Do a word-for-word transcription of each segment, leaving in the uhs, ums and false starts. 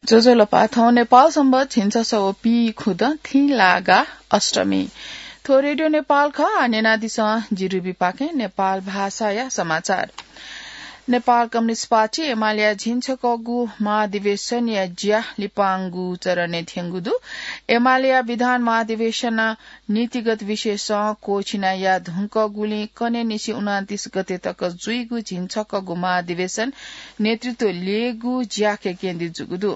ज्वजलपा, थौं नेपाल संवत् झिंछसः व पीखुदँ थिंलागा अष्टमी। थ्व रेडियो नेपाल खः। आः न्यनादिसँ जि रुबी पाखें नेपाल भाषाया समाचार। नेपाल कम्युनिस्ट पार्टी एमालेया झिंछकःगु महाधिवेशनया ज्या लिपांगु चरणय् थ्यंगु दु। एमालेया विधान महाधिवेशन नीतिगत विषयसं क्वःछिना याये धुंकूगुलिं कन्हय्‌निसें उनन्तीस गते तक जुइगु झिंछकःगु महाधिवेशन नेतृत्व ल्ययेगु ज्याखँय् केन्द्रित जूगु दु।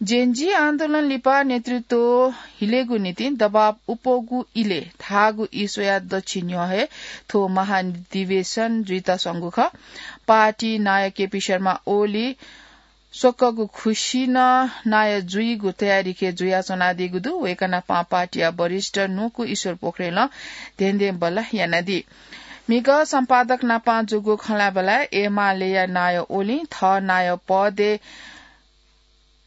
जेनजी आन्दोलन लिपा नेतृत्व हिलेगु निंतिं दबाव अप्वःगु इलय् धाःगु ई स्वयाः दच्छि न्ह्यः हे थ्व महाधिवेशन जुइत स्वंगु खः। पार्टी नायः केपी शर्मा ओली स्वकःगु खुसि नं नायः जुइगु तयारीखँय् जुयाच्वनादीगु दु। वय्‌कः नापं पार्टीया वरिष्ठ न्वकू ईश्वर पोखरेलं धेंधेंबल्लाः यानादी। म्हिगः सम्पादक नापं जूगु खँल्हाबल्लाय् एमालेया नायः ओलीं थः नायः पदय्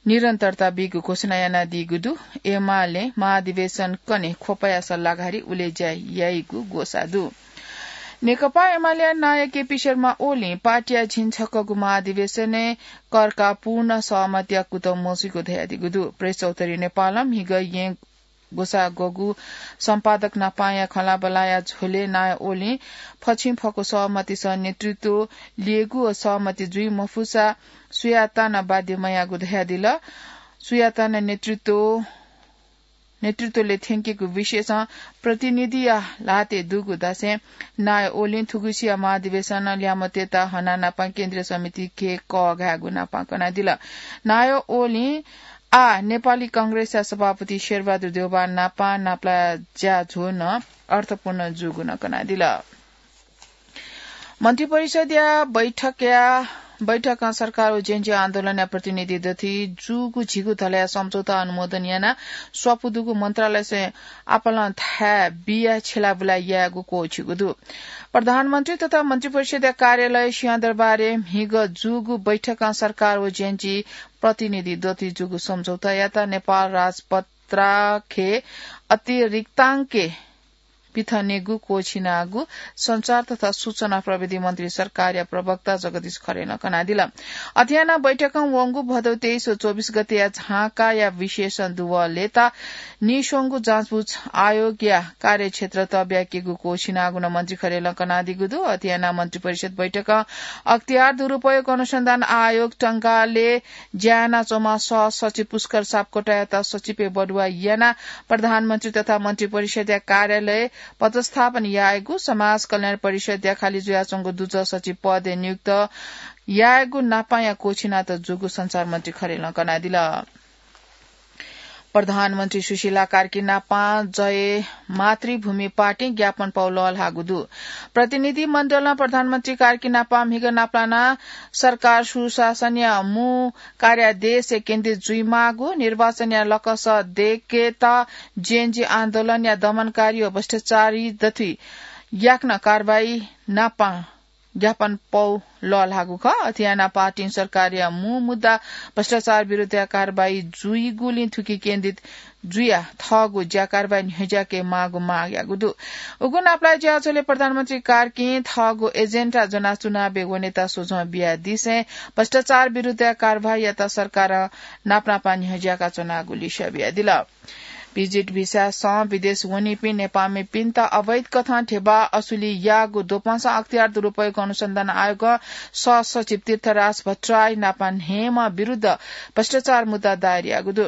निरन्तरता बीगु घोषणा यानादीगु दु। एमालें महाधिवेशन कन्हय् ख्वपया सल्लाहकारी उलेज्या याइगु ग्वसाः दु। नेकपा एमालेया नायः केपी शर्मा ओलीं पार्टीया झिंछकःगु महाधिवेशनय् कर्का पूर्ण सहमतिया कुतः मजुइगु धयादीगु दु। प्रेस चौधरी नेपालं म्हिगः येँ ग्वसाः ग्वःगु सम्पादक नापांया खँल्हाबल्लाया झ्वलय् नायः ओलीं फछिंफक्व सहमतिसं नेतृत्व ल्ययेगु व सहमति जुइ मफुसा सुयातां नं बाध्य मयाःगु धयादिल। सुयातां नं नेतृत्व नेतृत्वलय् थ्यंकेगु विषयसं प्रतिनिधिया ल्हातय् दुगु धासें नायः ओलीं थुगुसिया महाधिवेशन ल्याय्म्हतय्‌त हनाः नापं केन्द्रीय समितिके कःघायेगु नापं कनादिल। नायः ओलीं आः नेपाली कांग्रेसया सभापति शेरबहादुर देउबा नापं नापलाः ज्याझ्वः नं अर्थपूर्ण जूगु नं कनादिल। मन्त्रिपरिषद्या बैठकया, बैठकं सरकार व जेनजी आन्दोलनया प्रतिनिधि दथुइ जूगु झिगू धलया सम्झौता अनुमोदन यानाः स्वापू दुगु मन्त्रालयसं आपालं थाय् बियाः छ्यलाबुला यायेगु क्वःछिगु दु। प्रधानमन्त्री तथा मन्त्रिपरिषद्या कार्यालय सिंहदरबारय् म्हिगः जूगु बैठकं सरकार व जेनजी प्रतिनिधि दथुइ जूगु सम्झौतायात नेपाल राजपत्राखय् अतिरिक्तांकय् पिथनेगु क्वःछिनागु संचार तथा सूचना प्रविधि मन्त्री सरकारया प्रवक्ता जगदीश खरेलं कनादिल। अथे यानाः बैठकं वंगु भदौ तेइस व चौबिस गतेया झांकाया विशेष दुवः लय्‌ताः नीस्वंगु जाँचबुझ आयोगया कार्यक्षेत्र तःब्याकेगु क्वःछिनागु नं मन्त्री खरेलं कनादीगु दु। अथे यानाः मन्त्रिपरिषद बैठकं अख्तियार दुरुपयोग अनुसन्धान आयोग टंगालय् ज्या यानाच्वंम्ह सहसचिव पुष्कर सापकोटायात सचिवय् बढुवा यानाः प्रधानमन्त्री तथा मन्त्रिपरिषदया कार्यालय पदस्थापन यायेगु, समाज कल्याण परिषदया खालि जुयाच्वंगु दुजः सचिव पदय् नियुक्त यायेगु नापांया क्वःछिनातःगु जूगु संचार मन्त्री खरेलं कनादिल। प्रधानमन्त्री सुशीला कार्की नापां जय मातृभूमि पार्टीं ज्ञापन पौ लःल्हाःगु दु। प्रतिनिधि मण्डलं प्रधानमन्त्री कार्की नापां म्हिगः नापलानाः सरकार सुशासनया मू कार्यादेशय् केन्द्रित जुइमाःगु, निर्वाचनया लकस दय्‌केत जेनजी आन्दोलनया दमनकारी व भ्रष्टाचारी दथुइ याकनं कारवाही नापं ज्ञापन पौ लःल्हाःगु खः। अथे यानाः पार्टीं सरकारया मू मुद्दा भ्रष्टाचार विरुद्धया कारवाही जुइगुलिं थुकी केन्द्रित जुयाः थःगु ज्या कारवाही न्ह्यज्याके माःगु माग याःगु दु। उगु नापलाः ज्याझ्वलय् प्रधानमन्त्री कार्कीं थःगु एजेन्डा ज्वनाः चुनावय् वनेत स्वझ्वः बियादिसें भ्रष्टाचार विरुद्धया कारवाहीयात सरकारं नापनापं न्ह्यज्याका च्वनागु लिसः बियादिल। भिजिट भिसासं विदेश वनीपिं नेपाःमिपिन्त अवैध कथं ध्यबा असुली याःगु द्वपंसं अख्तियार दुरुपयोग अनुसन्धान आयोगं सहसचिव तीर्थराज भट्टराई नापं न्हय्म्ह विरुद्ध भ्रष्टाचार मुद्दा दायर याःगु दु।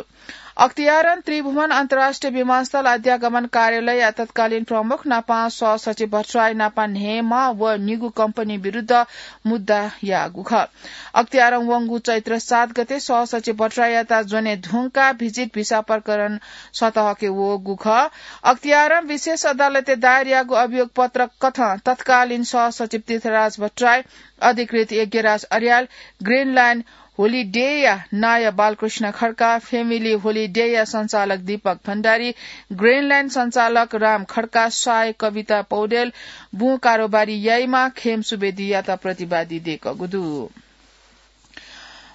अख्तियारं त्रिभुवन अन्तर्राष्ट्रिय विमानस्थल अध्यागमन कार्यालयया तत्कालीन प्रमुख नापं सहसचिव भट्टराई नापं न्हय्म्ह व निगू कम्पनी विरुद्ध मुद्दा याःगु खः। अख्तियारं वंगु चैत्र सात गते सहसचिव भट्टराईयात ज्वने धुंकाः भिजिट भिसा प्रकरण सतहके वःगु खः। अख्तियारं विशेष अदालतय् दायर याःगु अभियोग पत्र कथं तत्कालीन सहसचिव तीर्थराज भट्टराई, अधिकृत यज्ञराज अर्याल, ग्रिनल्याण्ड होलिडेया नायः बालकृष्ण खड्का, फ्यामिली होलिडेया सञ्चालक दीपक भण्डारी, ग्रिनल्याण्ड सञ्चालक राम खड्का, साय कविता पौडेल, बुँ कारोबारी याइम्ह खेम सुवेदीयात प्रतिवादी दय्‌कःगु दु।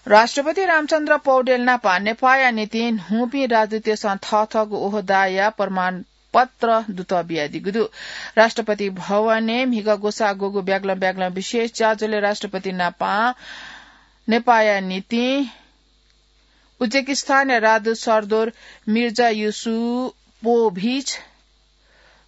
राष्ट्रपति रामचन्द्र पौडेल नापं नेपाःया निंतिं न्हूपिं राजदूतय्‌सं थःथःगु ओहदाया प्रमाणपत्र दुतः बियादीगु दु। राष्ट्रपति भवनय् म्हिगः ग्वसाः ग्वःगु ब्यागलं ब्यागलं विशेष ज्याझ्वलय् राष्ट्रपति नापं नेपाःया निंतिं उज्बेकिस्तानया राजदूत सर्दोर मिर्जा युसुपोभिच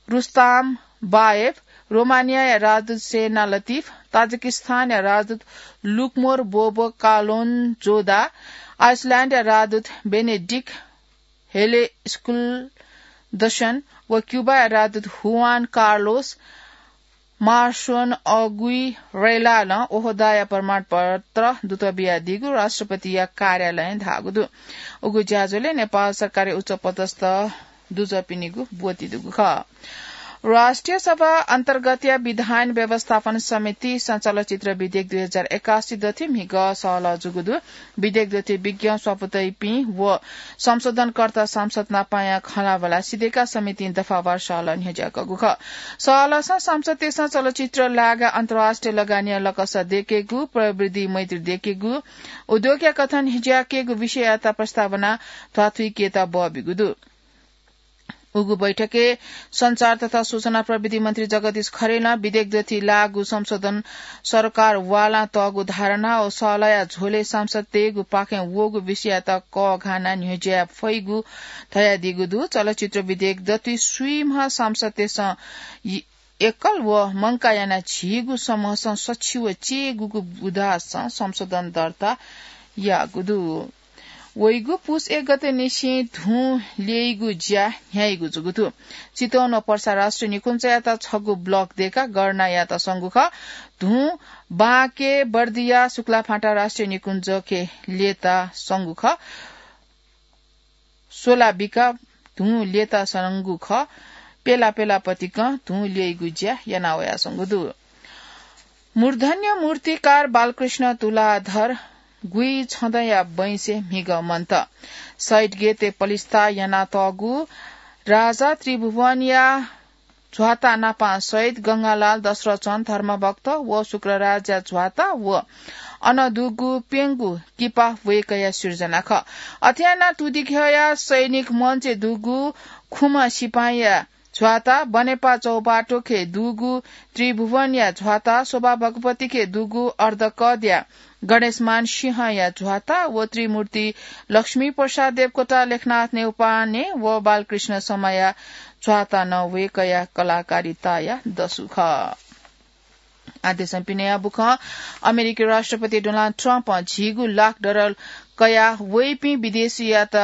रुस्ताम बायेभ, रोमानियाया राजदूत सेना लतिफ, ताजिकिस्तानया राजदूत लुकमोर बोबो कालोन जोदा, आइसल्याण्डया राजदूत बेनेडिक हेले स्कुलदसन व क्युबाया राजदूत हुआन कार्लोस मार्सोन अगुइरेलालं ओहदाया प्रमाणपत्र दूत बियादीगु राष्ट्रपतिया कार्यालयं धाःगु दु। उगु ज्याझ्वलय् नेपाल सरकारया उच्च पदस्थ दुजःपिनिगु ब्वति दुगु खः। राष्ट्रिय सभा अन्तर्गतया विधान व्यवस्थापन समितिसं चलचित्र विधेयक दुई हजार एकासी दथि म्हिगः सहलह जूगु दु। विधेयक दथि विज्ञ स्वापू तइपिं व संशोधनकर्ता सांसद नापाया खँल्हाबल्हा सिधयेकाः समितिं दफावार सहलह न्ह्यज्याकूगु खः। सहलहसं सांसदतय्सं चलचित्र लागाय् अन्तर्राष्ट्रिय लगानीया लकस दयेकेगु, प्रविधि मैत्री दयेकेगु, उद्योगया कथं न्ह्यज्याकेगु विषययात प्रस्तावना ध्वाथुइकेत बः बीगु दु। उगु बैठकय् सञ्चार तथा सूचना प्रविधि मन्त्री जगदीश खरेलं विधेयक दथि लाःगु संशोधन सरकार वालां तःगु धारणा व सहलहया झ्वलय् सांसदतय्गु पाखें वःगु विषययात कःघानाः न्ह्यज्याये फइगु धयादीगु दु। चलचित्र विधेयक दथि स्वीम्ह सांसदतय्सं इ-, एकल व मंकाः यानाः झीगु समूहसं सछि व चय्गूगु बुँदासं संशोधन दर्ता याःगु दु। वइगु पुस एक गते निसें धुं ल्यइगु ज्या न्ह्याइगु जूगु दु। चितवन व पर्सा राष्ट्रिय निकुञ्जयात छगू ब्लक दयेकाः गणना यात संगु खः। धुं बांके बर्दिया शुक्लाफाँटा राष्ट्रिय निकुञ्जके ल्ययेत संगु खः। सोलाबिका धुं ल्ययेत संगु खः। पेला पेला पतिकं धुं ल्यइगु ज्या याना वया संगु दु। मूर्धन्य मूर्तिकार बालकृष्ण तुलाधर गुइछदँया बैंसे म्हिगः मन्त। शहीद गेते पलिस्था यानातःगु राजा त्रिभुवनया झ्वाता नापां शहीद गंगालाल दशरथन धर्मभक्त व शुक्रराजया झ्वाता व अन दुगु प्यंगू किपा वय्कःया सिर्जना खः। अथे यानाः तुदिघ्यःया सैनिक मञ्चय् दुगु खुम्ह सिपाइँया झ्वाता, बनेपा चौबाटोखे दुगु त्रिभुवनया झ्वाता, शोभा भगवतीखे दुगु अर्धकदया गणेशमान सिंहया झ्वाता व त्रिमूर्ति लक्ष्मी प्रसाद देवकोटा, लेखनाथ नेउपाने व बालकृष्ण शर्माया झ्वाता नं वय्कःया कलाकारिताया दसु खः। आदेशं पिनेया बुखं अमेरिकी राष्ट्रपति डोनाल्ड ट्रम्पं झिगू लाख डलर कयाः वइपिं विदेशीयात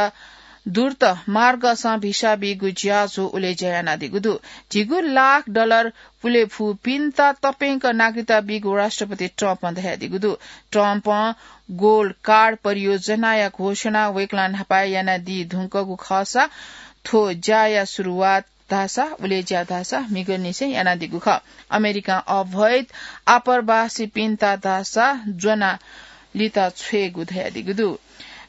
द्रुत मार्गसं भिसा बीगु ज्याझ्वः उलेज्या यानादीगु दु। झिगू लाख डलर पुले फुपिन्त तप्यंक नागरिकता बीगु राष्ट्रपति ट्रम्पं धयादीगु दु। ट्रम्पं गोल्ड कार्ड परियोजनाया घोषणा वय्कलं न्हापाय् यानादी धुंकूगु खःसा थ्व ज्याया सुरुवात धाःसा, उलेज्या धाःसा म्हिगःनिसें यानादीगु खः। अमेरिकां अवैध आप्रवासीपिन्त धाःसा ज्वना लित छ्वयेगु धयादीगु दु।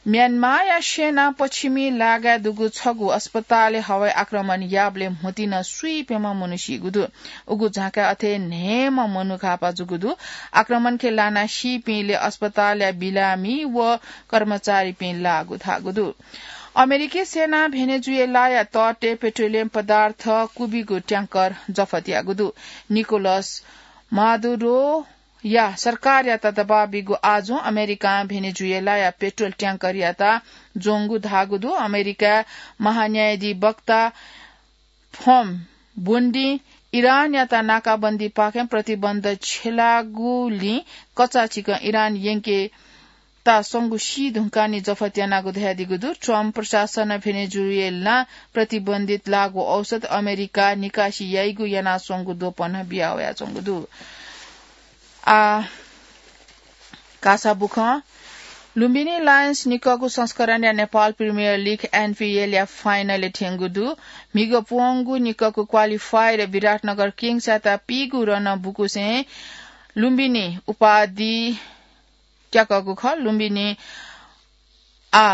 म्यानमारया सेनां पश्चिमी लागाय् दुगु छगू अस्पतालय् हवाई आक्रमण याःबलय् म्हुतुं स्वीप्यम्ह मनू सीगु दु। उगु झाँकाय् अथे न्हय्म्ह मनू घाःपाः जूगु दु। आक्रमणखे लानाः सीपिंलय् अस्पतालया बिरामी व कर्मचारीपिं लाःगु धाःगु दु। अमेरिकी सेनां भेनेजुएलाया तटय् पेट्रोलियम पदार्थ क्वबिगु ट्याङ्कर जफत याःगु दु। निकोलस मादुरोया सरकारयात दबाब बीगु आजुं अमेरिकां भेनेजुएलाया पेट्रोल ट्याङ्करयात ज्वंगु धाःगु दु। अमेरिकाया महान्यायाधिवक्ता फम बोन्डिं इरानयात नाकाबन्दीपाखें प्रतिबन्ध छ्यलाःगुलिं कचाचिकं इरान यंकेत संगु सी धुंकाः नं जफत यानागु धयादीगु दु। ट्रम्प प्रशासनं भेनेजुएलां प्रतिबन्धित लागु औषध अमेरिकां निकासी याइगु यानाच्वंगु द्वपं बिया वयाच्वंगु दु। आ, कासा बुखं लुम्बिनी लायन्स निकःगु संस्करणया नेपाल प्रिमियर लिग, एनपिएलया फाइनलय् थ्यंगु दु। म्हिगः प्वंगू निकःगु क्वालिफायरय् विराटनगर किङ्सयात पीगू रनं बुकुसें लुम्बिनी उपाधि त्याकःगु खः। लुम्बिनी आ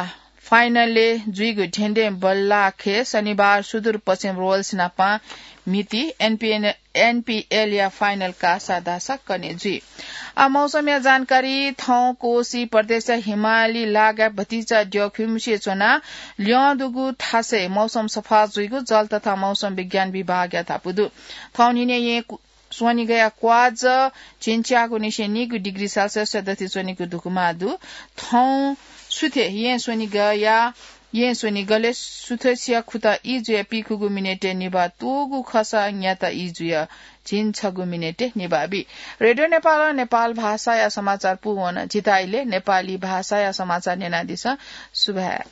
फाइनलय् जुइगु धेंधें बल्लाखे शनिबार सुदूरपश्चिम रोयल्स नाप म्हिती एनपिएन, एनपिएलया फाइनल कासा धाःसा कने जुइ। आ मौसमया जानकारी। थौं कोशी प्रदेशया हिमाली लागाय् भतिचा द्यःखिम्हसिइ च्वनाः ल्यं दुगु थासय् मौसम सफा जुइगु जल तथा मौसम विज्ञान विभागया धापू दु। थौं न्हिनय् येँ कु-, स्वनिगःया क्वाःझः झिंच्यागू निसें नीगू डिग्री सेल्सियस दथि च्वनीगु धुकुमा दु। थौं सुथे यें स्वनिगया यें स्वनिगले सुथसिया खुता ई जुया पीखुगु मिनेटे निभा तूगु खसा न्याता ई जुया झिन छगु मिनेटे निभा बी। रेडियो नेपाल नेपाल भाषाया समाचार पूवन। जिताइले नेपाली भाषाया समाचार नेनादिसँ। सुभाय्।